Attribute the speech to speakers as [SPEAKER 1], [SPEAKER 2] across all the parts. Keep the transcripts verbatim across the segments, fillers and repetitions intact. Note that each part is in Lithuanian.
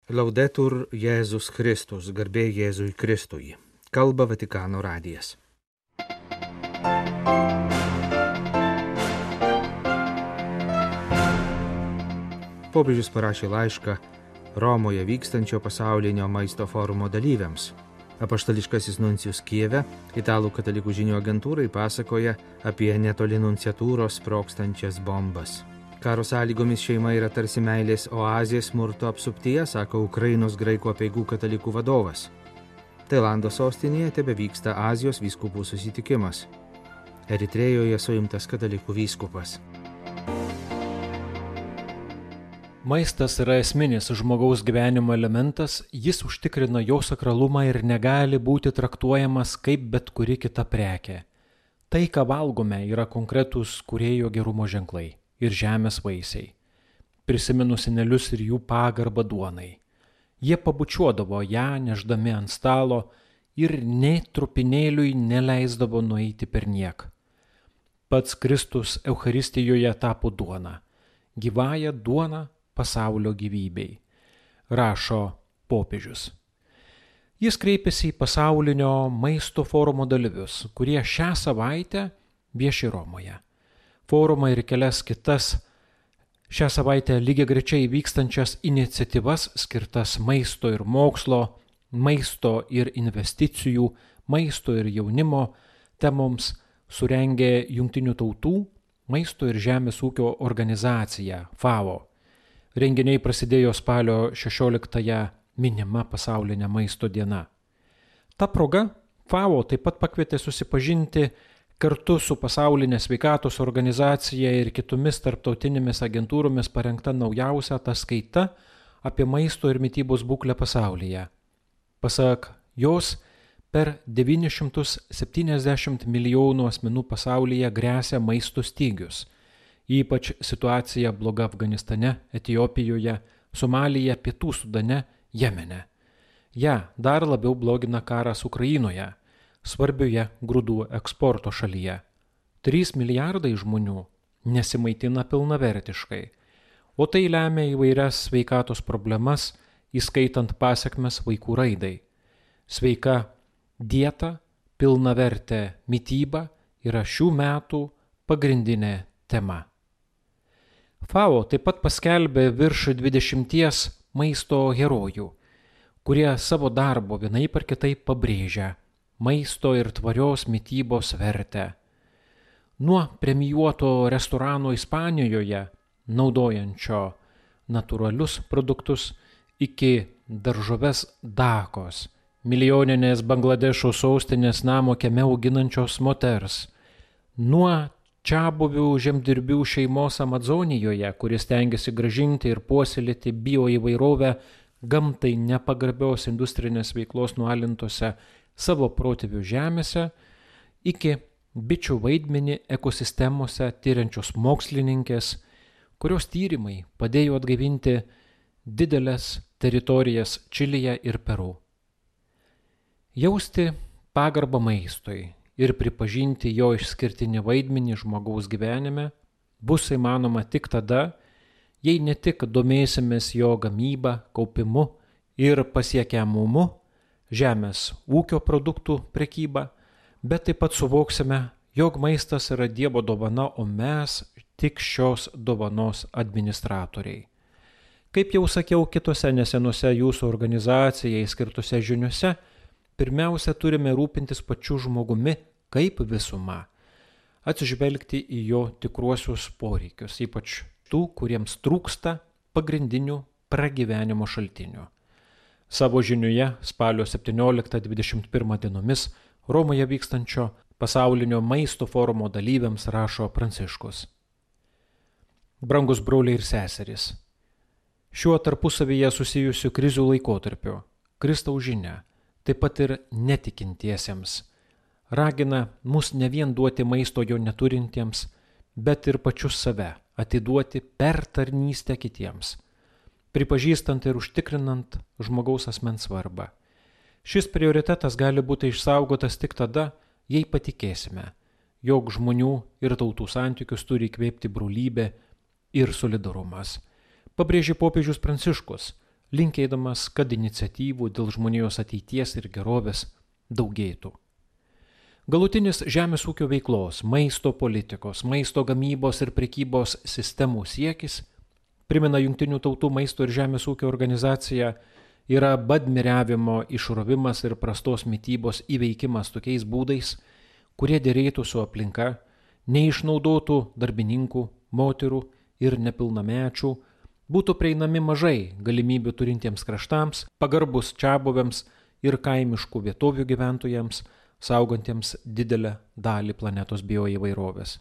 [SPEAKER 1] Laudetur Jėzus Kristus, garbė Jėzui Kristui. Kalba Vatikano radijas. Popiežius parašė laišką Romoje vykstančio pasaulinio maisto forumo dalyviams. Apaštališkasis nuncijus Kijeve, italų katalikų žinių agentūrai pasakoja apie netoli nunciatūros sprogstančias bombas. Karo sąlygomis šeima yra tarsi meilės oazė smurto apsuptyje, sako Ukrainos graikų apeigų katalikų vadovas. Tailando sostinėje tebevyksta Azijos vyskupų susitikimas. Eritrėjoje suimtas katalikų vyskupas.
[SPEAKER 2] Maistas yra esminis žmogaus gyvenimo elementas, jis užtikrina jo sakralumą ir negali būti traktuojamas kaip bet kuri kita prekė. Tai, ką valgome, yra konkretūs kūrėjo gerumo ženklai ir žemės vaisiai. Prisiminus senelius ir jų pagarbą duonai. Jie pabučiuodavo ją, neždami ant stalo ir nė trupinėliui neleisdavo nueiti perniek. Pats Kristus Eucharistijoje tapo duona, gyvąja duona pasaulio gyvybei, rašo popiežius. Jis kreipėsi į pasaulinio maisto forumo dalyvius, kurie šią savaitę vieši Romoje. Forumą ir kelias kitas šią savaitę lygiagrečiai vykstančias iniciatyvas skirtas maisto ir mokslo, maisto ir investicijų, maisto ir jaunimo temoms surengė Jungtinių tautų maisto ir žemės ūkio organizacija FAO. Renginiai prasidėjo spalio šešioliktąją minima pasaulinė maisto diena. Ta proga FAO taip pat pakvietė susipažinti kartu su pasaulinė sveikatos organizacija ir kitomis tarptautinėmis agentūromis parengta naujausia ataskaita apie maisto ir mitybos būklę pasaulyje. Pasak jos, per devynis šimtus septyniasdešimt milijonų asmenų pasaulyje gresia maisto stygius. Ypač situacija bloga Afganistane, Etiopijoje, Somalyje, Pietų Sudane, Jemene. Ja dar labiau blogina karas Ukrainoje, svarbioje grūdų eksporto šalyje. trys milijardai žmonių nesimaitina pilnavertiškai, o tai lemia įvairias sveikatos problemas, įskaitant pasekmes vaikų raidai. Sveika dieta, pilnavertė mityba yra šių metų pagrindinė tema. FAO taip pat paskelbė virš dvidešimties maisto herojų, kurie savo darbo vienaip ar kitaip pabrėžia maisto ir tvarios mitybos vertę. Nuo premijuoto restorano Ispanijoje, naudojančio natūralius produktus, iki daržoves Dakos, milijoninės Bangladešo sostinės namo kieme auginančios moters, nuo čiabuvių žemdirbių šeimos Amazonijoje, kuris stengiasi gražinti ir puoselėti bioįvairovę gamtai nepagarbios industrinės veiklos nualintose savo protėvių žemėse, iki bičių vaidmenį ekosistemose tyriančios mokslininkės, kurios tyrimai padėjo atgaivinti didelės teritorijas Čilėje ir Peru. Jausti pagarbą maistui ir pripažinti jo išskirtinį vaidmenį žmogaus gyvenime bus įmanoma tik tada, jei ne tik domėsimės jo gamyba, kaupimu ir pasiekiamumu, žemės ūkio produktų prekyba, bet taip pat suvoksime, jog maistas yra Dievo dovana, o mes tik šios dovanos administratoriai. Kaip jau sakiau kitose nesenose jūsų organizacijai skirtose žiniuose, pirmiausia turime rūpintis pačiu žmogumi kaip visuma, atsižvelgti į jo tikruosius poreikius, ypač tų, kuriems trūksta pagrindinių pragyvenimo šaltinių. Savo žiniuje spalio septynioliktą dvidešimt pirmą dienomis Romoje vykstančio pasaulinio maisto forumo dalyviams rašo Pranciškus. Brangus broliai ir seserys, šiuo tarpusavyje susijusių krizių laikotarpiu Kristaus žinia, taip pat ir netikintiesiems, ragina mus ne vien duoti maisto jo neturintiems, bet ir pačius save atiduoti per tarnystę kitiems, pripažįstant ir užtikrinant žmogaus asmens svarbą. Šis prioritetas gali būti išsaugotas tik tada, jei patikėsime, jog žmonių ir tautų santykius turi įkvėpti brolybė ir solidarumas. Pabrėžė popiežius Pranciškus, linkėdamas, kad iniciatyvų dėl žmonijos ateities ir gerovės daugėtų. Galutinis žemės ūkio veiklos, maisto politikos, maisto gamybos ir prekybos sistemų siekis, primena Jungtinių tautų maisto ir žemės ūkio organizacija, yra badmiriavimo išrovimas ir prastos mitybos įveikimas tokiais būdais, kurie dėrėtų su aplinka, neišnaudotų darbininkų, moterų ir nepilnamečių, būtų prieinami mažai galimybių turintiems kraštams, pagarbus čiabuviams ir kaimiškų vietovių gyventojams, saugantiems didelę dalį planetos bioįvairovės.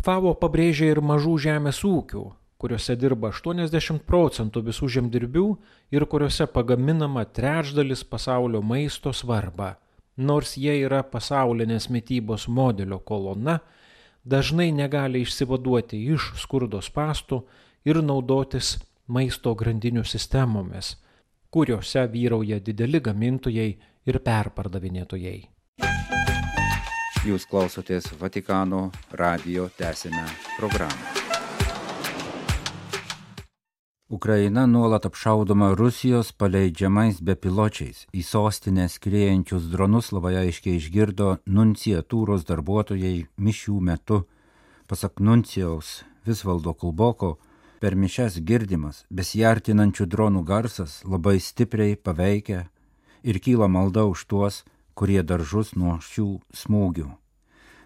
[SPEAKER 2] FAO pabrėžia ir mažų žemės ūkių, kuriuose dirba aštuoniasdešimt procentų visų žemdirbių ir kuriuose pagaminama trečdalis pasaulio maisto svarbą. Nors jie yra pasaulinės mitybos modelio kolona, dažnai negali išsivaduoti iš skurdo spąstų ir naudotis maisto grandinių sistemomis, kuriuose vyrauja dideli gamintojai ir perpardavinėtojai.
[SPEAKER 3] Jūs klausotės Vatikano radijo tęsinę programą. Ukraina nuolat apšaudoma Rusijos paleidžiamais bepiločiais. Į sostinę skriejančius dronus labai aiškiai išgirdo nunciatūros darbuotojai mišių metu. Pasak nuncijaus Visvaldo Kulboko, per mišias girdimas besiartinančių dronų garsas labai stipriai paveikia ir kyla malda už tuos, kurie dar žus nuo šių smūgių.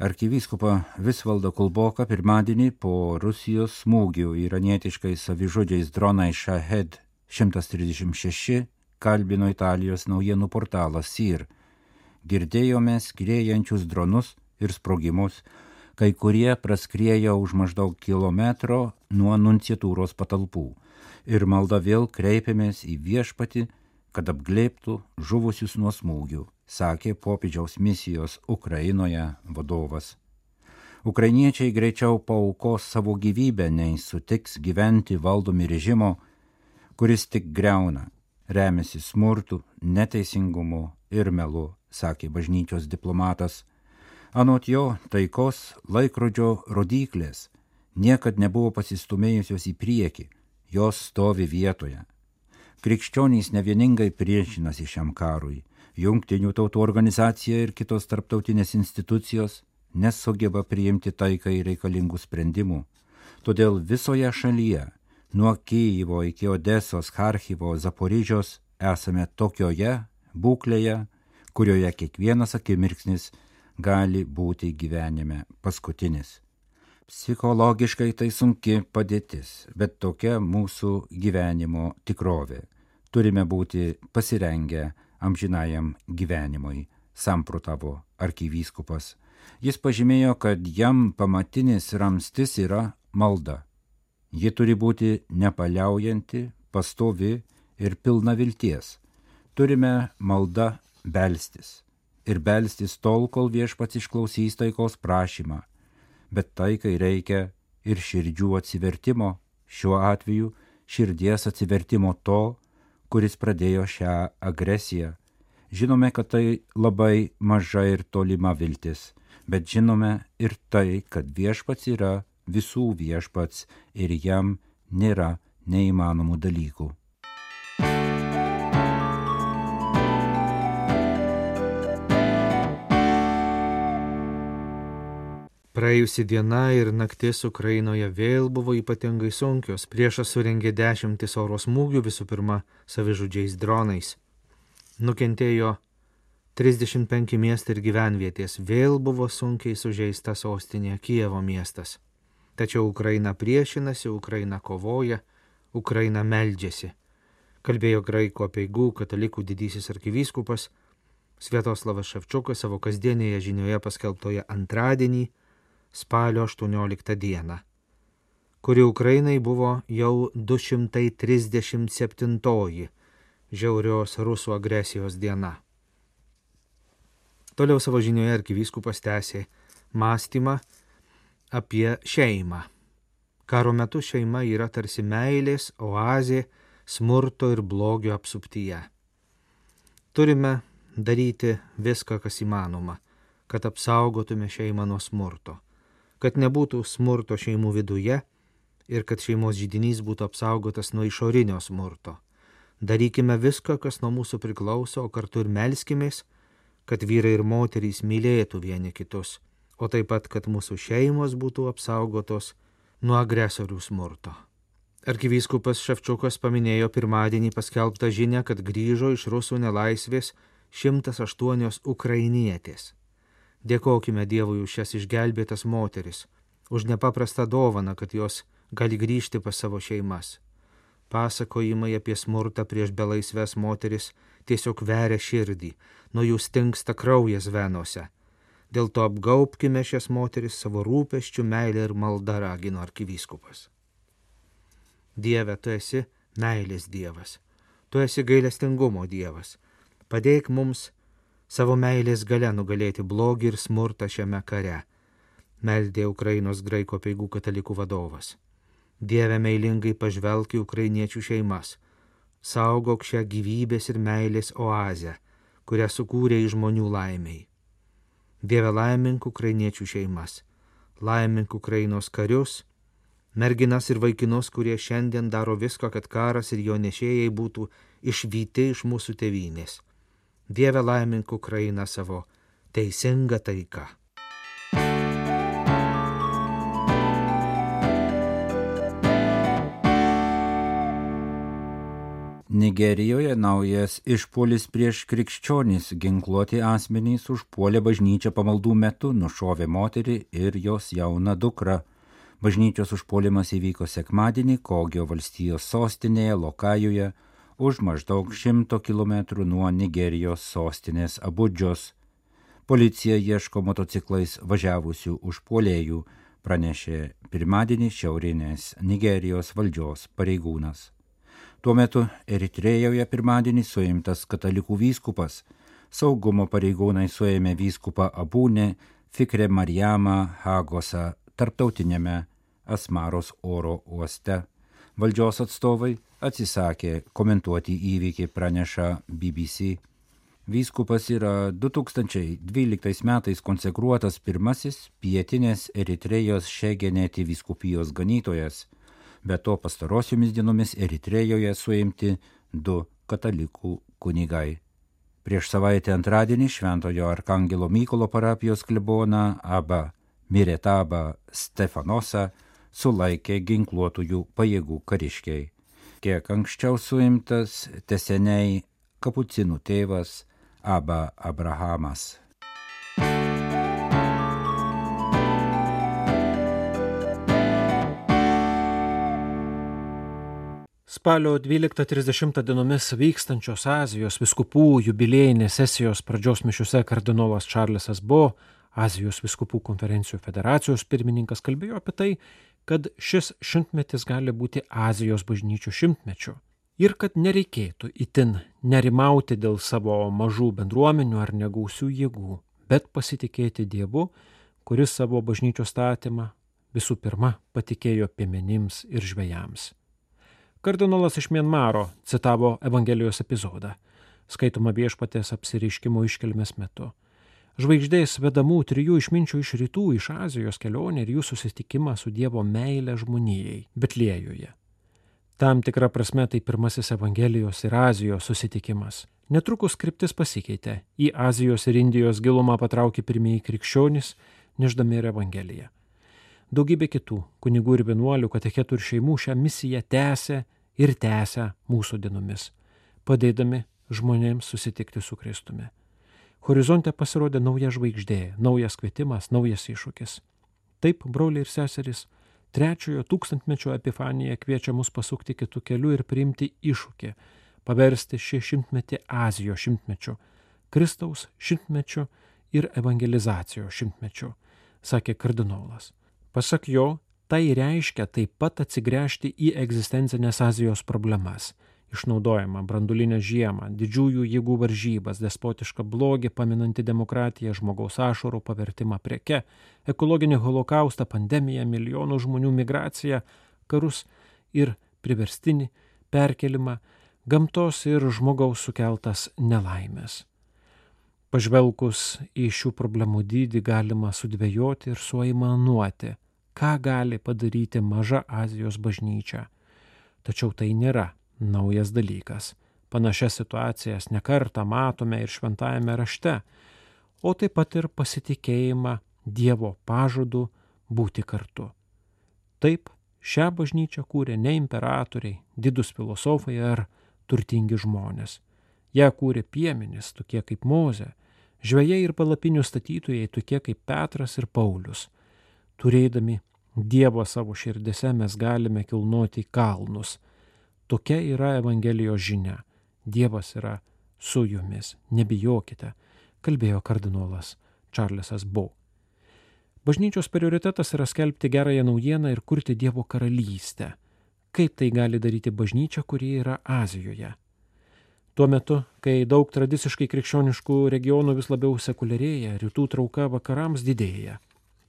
[SPEAKER 3] Arkivyskupa Visvaldą Kulboką pirmadienį po Rusijos smūgių iranietiškai savižudžiais dronai Shahed šimtas trisdešimt šeši kalbino Italijos naujienų portalas S I R. Girdėjome skriejančius dronus ir sprogimus, kai kurie praskriejo už maždaug kilometro nuo nunciatūros patalpų. Ir malda vėl kreipėmės į viešpatį, kad apglėbtų žuvusius nuo smūgių, sakė popiežiaus misijos Ukrainoje vadovas. Ukrainiečiai greičiau paaukos savo gyvybę, nei sutiks gyventi valdomi režimo, kuris tik greuna, remiasi smurtu, neteisingumu ir melu, sakė bažnyčios diplomatas. Anot jo, taikos laikrodžio rodyklės niekad nebuvo pasistumėjusios į priekį, jos stovi vietoje. Krikščionys nevieningai priešinasi šiam karui. Jungtinių tautų organizacija ir kitos tarptautinės institucijos nesugeba priimti taikai reikalingų sprendimų. Todėl visoje šalyje, nuo Kijevo iki Odesos, Charkivo, Zaporižios, esame tokioje būklėje, kurioje kiekvienas akimirksnis gali būti gyvenime paskutinis. Psichologiškai tai sunki padėtis, bet tokia mūsų gyvenimo tikrovė. Turime būti pasirengę amžinajam gyvenimui, samprotavo arkivyskupas. Jis pažymėjo, kad jam pamatinis ramstis yra malda. Ji turi būti nepaliaujanti, pastovi ir pilna vilties. Turime malda belstis. Ir belstis tol, kol viešpats išklausys taikos prašymą. Bet taikai reikia ir širdžių atsivertimo, šiuo atveju širdies atsivertimo to, kuris pradėjo šią agresiją. Žinome, kad tai labai maža ir tolima viltis, bet žinome ir tai, kad viešpats yra visų viešpats ir jam nėra neįmanomų dalykų.
[SPEAKER 1] Praėjusi diena ir naktis Ukrainoje vėl buvo ypatingai sunkios. Priešas surengė dešimtis oro smūgių, visų pirma savižudžiais dronais. Nukentėjo trisdešimt penki miestai ir gyvenvietės. Vėl buvo sunkiai sužeista sostinė Kijevo miestas. Tačiau Ukraina priešinasi, Ukraina kovoja, Ukraina meldžiasi. Kalbėjo graikų apeigų katalikų didysis arkivyskupas Sviatoslavas Ševčiukas savo kasdienėje žinioje paskelbtoje antradienį, spalio aštuonioliktą dieną, kuri Ukrainai buvo jau du šimtai trisdešimt septintoji žiaurios rusų agresijos diena. Toliau savo žinioje arkivyskupas tęsė mąstymą apie šeimą. Karo metu šeima yra tarsi meilės oazė smurto ir blogio apsuptyje. Turime daryti viską, kas įmanoma, kad apsaugotume šeimą nuo smurto, kad nebūtų smurto šeimų viduje ir kad šeimos židinys būtų apsaugotas nuo išorinio smurto. Darykime viską, kas nuo mūsų priklauso, o kartu ir melskimės, kad vyrai ir moterys mylėtų vieni kitus, o taip pat, kad mūsų šeimos būtų apsaugotos nuo agresorių smurto. Arkivyskupas Ševčiukas paminėjo pirmadienį paskelbtą žinią, kad grįžo iš rusų nelaisvės šimtas aštuonios ukrainietės. Dėkokime Dievui už šias išgelbėtas moteris, už nepaprastą dovaną, kad jos gali grįžti pas savo šeimas. Pasakojimai apie smurtą prieš belaisves moteris tiesiog veria širdį, nuo jų stingsta kraujas venose. Dėl to apgaubkime šias moteris savo rūpesčių, meilę ir maldą, ragino arkivyskupas. Dieve, tu esi meilės Dievas, tu esi gailestingumo Dievas. Padėk mums savo meilės galia nugalėti blogį ir smurtą šiame kare, meldė Ukrainos graikų apeigų katalikų vadovas. Dieve, meilingai pažvelk į ukrainiečių šeimas, saugok šią gyvybės ir meilės oazę, kurią sukūrė į žmonių laimiai. Dieve, laimink ukrainiečių šeimas, laimink Ukrainos karius, merginas ir vaikinus, kurie šiandien daro viską, kad karas ir jo nešėjai būtų išvyti iš mūsų tėvynės. Dieve, laimink Ukrainą savo teisingą taiką.
[SPEAKER 3] Nigerijoje naujas išpuolis prieš krikščionys, ginkluoti asmenys užpuolė bažnyčią pamaldų metu, nušovė moterį ir jos jauną dukrą. Bažnyčios užpuolimas įvyko sekmadienį Kogio valstijos sostinėje Lokajoje, už maždaug šimto kilometrų nuo Nigerijos sostinės Abudžos. Policija ieško motociklais važiavusių užpuolėjų, pranešė pirmadienį šiaurinės Nigerijos valdžios pareigūnas. Tuo metu Eritrėjoje pirmadienį suimtas katalikų vyskupas. Saugumo pareigūnai suėmė vyskupą Abūnę Fikre Marijamą Hagosą tarptautinėme Asmaros oro uoste. Valdžios atstovai atsisakė komentuoti įvykį, praneša B B C. Vyskupas yra du tūkstančiai dvyliktais metais konsekruotas pirmasis pietinės Eritrėjos Šegeneti vyskupijos ganytojas. Be to pastarosiomis dienomis Eritrėjoje suimti du katalikų kunigai. Prieš savaitę antradienį Šventojo Arkangelo Mykolo parapijos kleboną Abba Miretabą Stefanosą sulaikė ginkluotųjų pajėgų kariškiai. Kiek anksčiau suimtas teseniai kapucinų tėvas Abba Abrahamas.
[SPEAKER 2] Spalio dvyliktą trisdešimtą dienomis vykstančios Azijos vyskupų jubiliejinės sesijos pradžios mišiuose kardinolas Čarlesas Bo, Azijos vyskupų konferencijų federacijos pirmininkas, kalbėjo apie tai, kad šis šimtmetis gali būti Azijos bažnyčių šimtmečiu ir kad nereikėtų itin nerimauti dėl savo mažų bendruomenių ar negausių jėgų, bet pasitikėti Dievu, kuris savo bažnyčios statymą visų pirma patikėjo piemenims ir žvejams. Kardinolas iš Mianmaro citavo Evangelijos epizodą, skaitomą Viešpaties apsireiškimo iškilmės metu. Žvaigždės vedamų trijų išminčių iš rytų, iš Azijos kelionė ir jų susitikimą su Dievo meile žmonijai Betliejuje. Tam tikra prasme tai pirmasis Evangelijos ir Azijos susitikimas. Netrukus kryptis pasikeitė. Į Azijos ir Indijos gilumą patraukė pirmieji krikščionys, nešdami ir Evangeliją. Daugybė kitų kunigų ir vienuolių, katechetų ir šeimų šią misiją tęsė ir tęsia mūsų dienomis, padėdami žmonėms susitikti su Kristumi. Horizonte pasirodė nauja žvaigždė, naujas kvietimas, naujas iššūkis. Taip, broliai ir seserys, trečiojo tūkstantmečio Epifanija kviečia mus pasukti kitų kelių ir priimti iššūkį, paversti šį šimtmetį Azijos šimtmečiu, Kristaus šimtmečiu ir evangelizacijos šimtmečiu, sakė kardinolas. Pasak jo, tai reiškia taip pat atsigręžti į egzistencinės Azijos problemas, išnaudojimą, branduolinę žiemą, didžiųjų jėgų varžybas, despotišką blogį, paminantį demokratiją, žmogaus ašarų pavertimą preke, ekologinį holokaustą, pandemiją, milijonų žmonių migraciją, karus ir priverstinį perkelimą, gamtos ir žmogaus sukeltas nelaimės. Pažvelgus į šių problemų dydį galima sudvejoti ir suaimanuoti, ką gali padaryti maža Azijos bažnyčia. Tačiau tai nėra naujas dalykas. Panašias situacijas nekartą matome ir šventajame rašte, o taip pat ir pasitikėjimą Dievo pažadu būti kartu. Taip, šią bažnyčią kūrė ne imperatoriai, didūs filosofai ar turtingi žmonės. Ją kūrė piemenys, tokie kaip Mozė, žvejai ir palapinių statytojai, tokie kaip Petras ir Paulius. Turėdami Dievą savo širdise mes galime kilnoti kalnus. Tokia yra Evangelijos žinia. Dievas yra su jumis, nebijokite, kalbėjo kardinolas Čarlzas Bo. Bažnyčios prioritetas yra skelbti gerąją naujieną ir kurti Dievo karalystę. Kaip tai gali daryti bažnyčia, kuri yra Azijoje? Tuo metu, kai daug tradiciškai krikščioniškų regionų vis labiau sekuliarėja, rytų trauka vakarams didėja.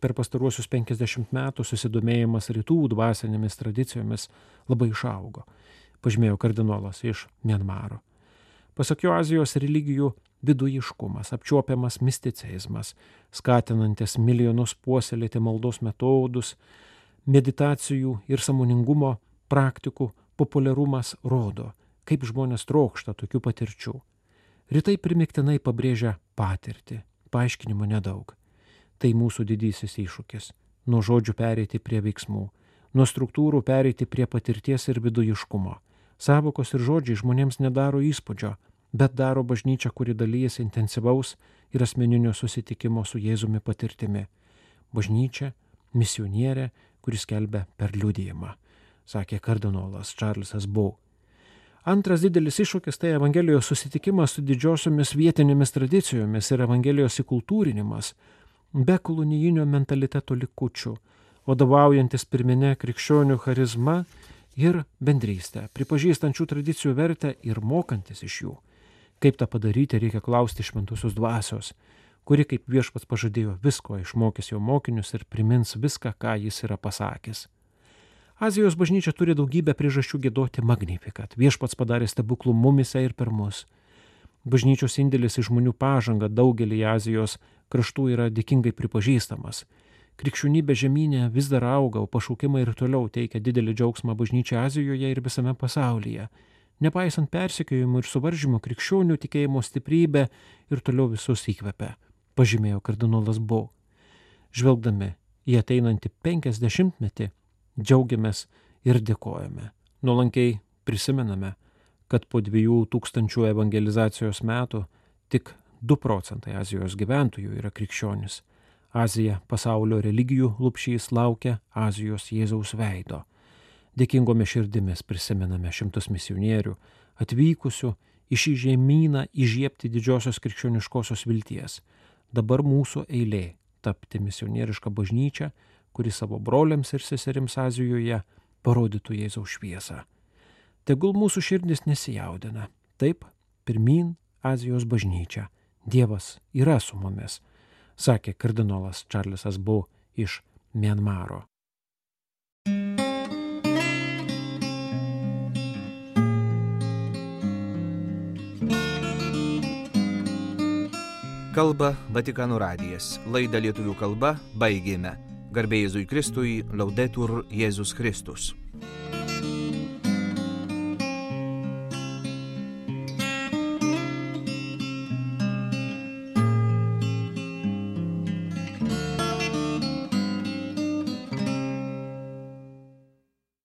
[SPEAKER 2] Per pastaruosius penkiasdešimt metų susidomėjimas rytų dvasinėmis tradicijomis labai išaugo, pažymėjo kardinolas iš Mianmaro. Pasak jo, Azijos religijų vidujiškumas, apčiuopiamas misticizmas, skatinantis milijonus puoselėti maldos metodus, meditacijų ir sąmoningumo praktikų populiarumas rodo, kaip žmonės trokšta tokių patirčių. Rytai primiktinai pabrėžia patirtį, paaiškinimo nedaug. Tai mūsų didysis iššūkis – nuo žodžių pereiti prie veiksmų, nuo struktūrų pereiti prie patirties ir vidujiškumo. Savokos ir žodžiai žmonėms nedaro įspūdžio, bet daro bažnyčią, kuri dalyjasi intensyvaus ir asmeninio susitikimo su Jėzumi patirtimi. Bažnyčia – misionierė, kuris skelbia per liudijimą, sakė kardinolas Čarlzas Bo. Antras didelis iššūkis tai Evangelijos susitikimas su didžiosiomis vietinėmis tradicijomis ir Evangelijos įkultūrinimas, be kolonijinio mentaliteto likučių, vadovaujantis pirminė krikščionių charizma ir bendrystė, pripažįstančių tradicijų vertę ir mokantis iš jų. Kaip tą padaryti, reikia klausti šventosios dvasios, kuri kaip viešpats pažadėjo visko, išmokys jo mokinius ir primins viską, ką jis yra pasakęs. Azijos bažnyčia turi daugybę priežasčių giedoti Magnificat. Viešpats padarė stebuklų mumise ir per mus. Bažnyčios indėlis į žmonių pažangą daugelį Azijos kraštų yra dėkingai pripažįstamas. Krikščionybė žemynė vis dar auga, o pašaukimai ir toliau teikia didelį džiaugsmą bažnyčiai Azijoje ir visame pasaulyje. Nepaisant persekiojimų ir suvaržymų, krikščionių tikėjimo stiprybė ir toliau visus įkvepia, pažymėjo kardinolas Bo. Žvelgdami į ateinantį penkiasdešimtmetį, džiaugiamės ir dėkojame. Nuolankiai prisimename, kad po dviejų tūkstančių evangelizacijos metų tik du procentai Azijos gyventojų yra krikščionys. Azija pasaulio religijų lupšys laukia Azijos Jėzaus veido. Dėkingomis širdimis prisimename šimtus misionierių, atvykusių į šį žemyną įžiebti didžiosios krikščioniškosios vilties. Dabar mūsų eilė tapti misionierišką bažnyčią, kuri savo broliams ir seserims Azijoje parodytų Jėzaus šviesą. Tegul mūsų širdis nesijaudina. Taip, pirmyn Azijos bažnyčia. Dievas yra su mumis, sakė kardinolas Čarlzas Bo iš Mianmaro.
[SPEAKER 1] Kalba Vatikano radijas. Laidą lietuvių kalba baigėme. Garbė Jėzui Kristui, Laudetur Jėzus Kristus.